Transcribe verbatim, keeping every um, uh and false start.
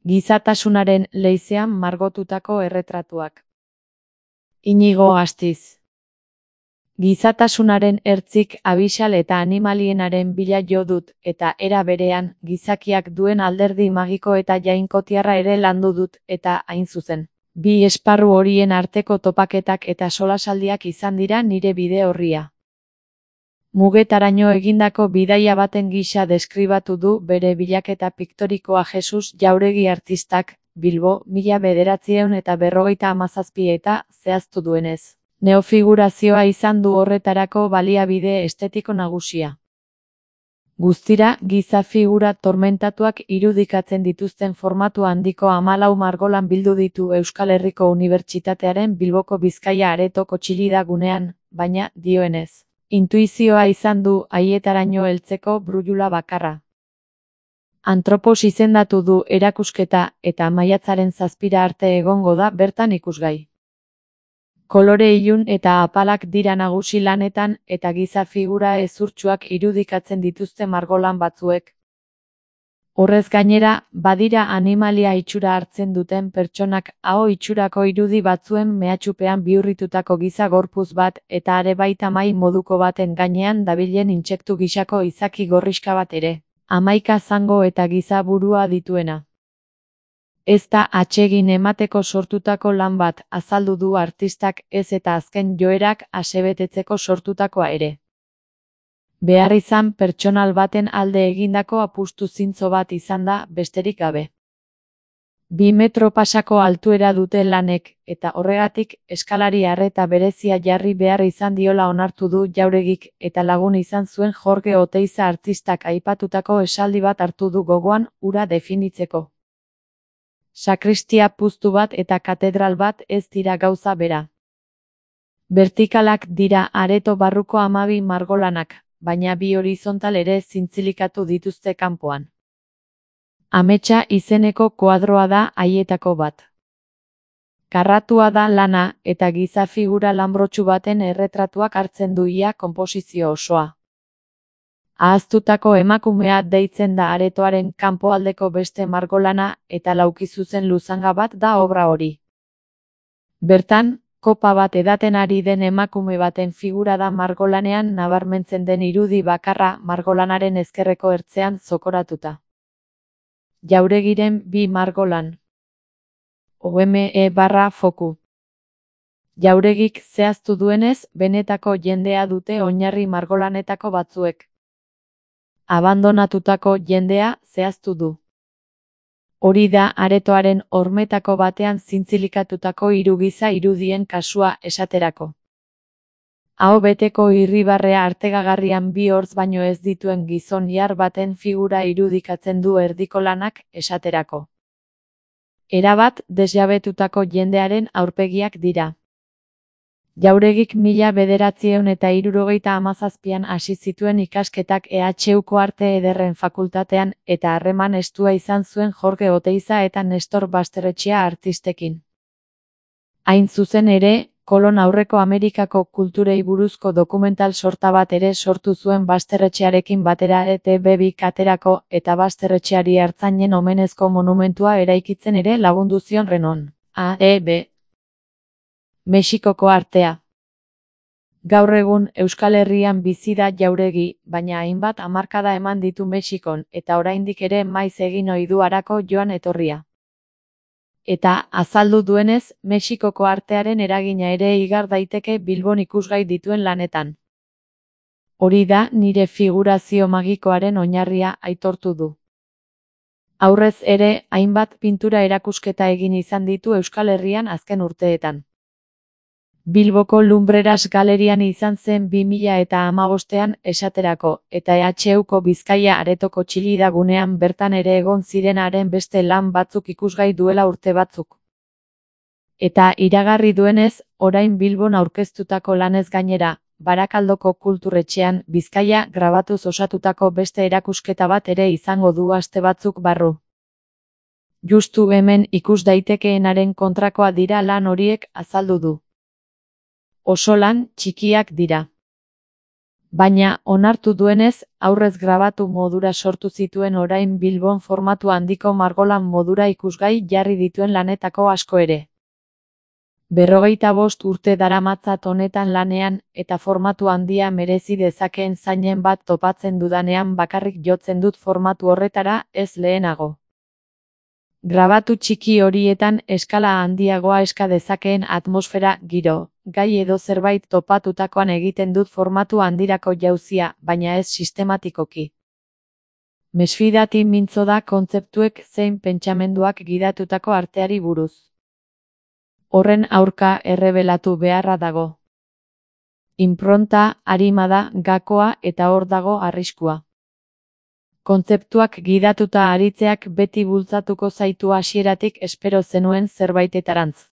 Gizatasunaren leizean margotutako erretratuak. Inigo Astiz. Gizatasunaren ertzik abixal eta animalienaren bila jo dut, eta era berean, gizakiak duen alderdi magiko eta jainkotiarra ere landu dut, eta hain zuzen. Bi esparru horien arteko topaketak eta solasaldiak izan dira nire bide orria. Mugetaraino egindako bidaia baten gisa deskribatu du bere bilaketa piktorikoa Jesus Jauregi artistak, Bilbo, mila bederatziehun eta berrogeita hamazazpi eta zehaztu duenez. Neofigurazioa izan du horretarako baliabide estetiko nagusia. Guztira, giza figura tormentatuak irudikatzen dituzten formatu handiko hamalau margolan bildu ditu Euskal Herriko Unibertsitatearen Bilboko Bizkaia Aretoko Txillida gunean, baina, dioenez, intuizioa izan du haietaraino heltzeko brujula bakarra. Antropos izendatu du erakusketa eta maiatzaren zazpira arte egongo da bertan ikusgai. Kolore ilun eta apalak dira nagusi lanetan eta giza figura ezurtsuak irudikatzen dituzte margolan batzuek. Horrez gainera, badira animalia itxura hartzen duten pertsonak aho itxurako irudi batzuen mehatxupean bihurritutako giza gorpuz bat eta are baita mai moduko baten gainean dabilen intsektu gisako izaki gorriska bat ere, hamaika zango eta giza burua dituena. Ez da atsegin emateko sortutako lan bat, azaldu du artistak, ez eta azken joerak asebetetzeko sortutakoa ere. Beharrizan pertsonal baten alde egindako apustu zintzo bat izan da, besterik gabe. Bi metro pasako altuera dute lanek, eta horregatik eskalari arreta berezia jarri behar izan diola onartu du Jauregik, eta lagun izan zuen Jorge Oteiza artistak aipatutako esaldi bat hartu du gogoan, hura definitzeko. Sakristia puztu bat eta katedral bat ez dira gauza bera. Vertikalak dira areto barruko hamabi margolanak, baina bi horizontal ere zintzilikatu dituzte kanpoan. Ametsa izeneko koadroa da haietako bat. Karratua da lana eta giza figura lanbrotsu baten erretratuak hartzen du ia konposizio osoa. Ahaztutako emakumea deitzen da aretoaren kanpoaldeko beste margolana eta laukizuzen luzanga bat da obra hori. Bertan, kopa bat edaten ari den emakume baten figura da margolanean nabarmentzen den irudi bakarra margolanaren ezkerreko ertzean zokoratuta. Jauregiren bi margolan. O M E barra foku. Jauregik zehaztu duenez, benetako jendea dute oinarri margolanetako batzuek. Abandonatutako jendea zehaztu du. Hori da aretoaren hormetako batean zintzilikatutako hiru giza irudien kasua esaterako. Aho beteko irribarrea artegagarrian bi hortz baino ez dituen gizon ihar baten figura irudikatzen du erdiko lanak esaterako. Erabat desjabetutako jendearen aurpegiak dira. Jauregik mila bederatziehun eta hirurogeita hamazazpian hasi zituen ikasketak E H Uko Arte Ederren Fakultatean eta harreman estua izan zuen Jorge Oteiza eta Nestor Basterretxea artistekin. Hain zuzen ere, kolon aurreko Amerikako kulturei buruzko dokumental sorta bat ere sortu zuen Basterretxearekin batera E T B bik aterako eta Basterretxeari ertzainen omenezko monumentua eraikitzen ere lagundu zion Renon. A E B Mexikoko artea. Gaur egun Euskal Herrian bizi da Jauregi, baina hainbat hamarkada eman ditu Mexikon eta oraindik ere maiz egin ohi du harako joan etorria. Eta azaldu duenez, Mexikoko artearen eragina ere igar daiteke Bilbon ikusgai dituen lanetan. Hori da nire figurazio magikoaren oinarria aitortu du. Aurrez ere, hainbat pintura erakusketa egin izan ditu Euskal Herrian azken urteetan. Bilboko Lumbreras Galerian izan zen bi mila eta hamabostean esaterako, eta E H Uko Bizkaia Aretoko Txillida gunean bertan ere egon zirenaren beste lan batzuk ikusgai duela urte batzuk. Eta iragarri duenez, orain Bilbon aurkeztutako lanez gainera, Barakaldoko Kulturretxean Bizkaia grabatuz osatutako beste erakusketa bat ere izango du aste batzuk barru. Justu hemen ikus daitekeenaren kontrakoa dira lan horiek azaldu du. Oso lan txikiak dira. Baina, onartu duenez, aurrez grabatu modura sortu zituen orain Bilbon formatu handiko margolan modura ikusgai jarri dituen lanetako asko ere. Berrogeita bost urte daramatzat honetan lanean, eta formatu handia merezi dezakeen zainen bat topatzen dudanean bakarrik jotzen dut formatu horretara, ez lehenago. Grabatu txiki horietan eskala handiagoa eska dezakeen atmosfera, giro, gai edo zerbait topatutakoan egiten dut formatu handirako jauzia, baina ez sistematikoki. Mesfidati mintzo da kontzeptuek zein pentsamenduak gidatutako arteari buruz. Horren aurka errebelatu beharra dago. Inpronta, arima da, gakoa eta hor dago arriskua. Kontzeptuak gidatuta aritzeak beti bultzatuko zaitu hasieratik espero zenuen zerbaitetarantz.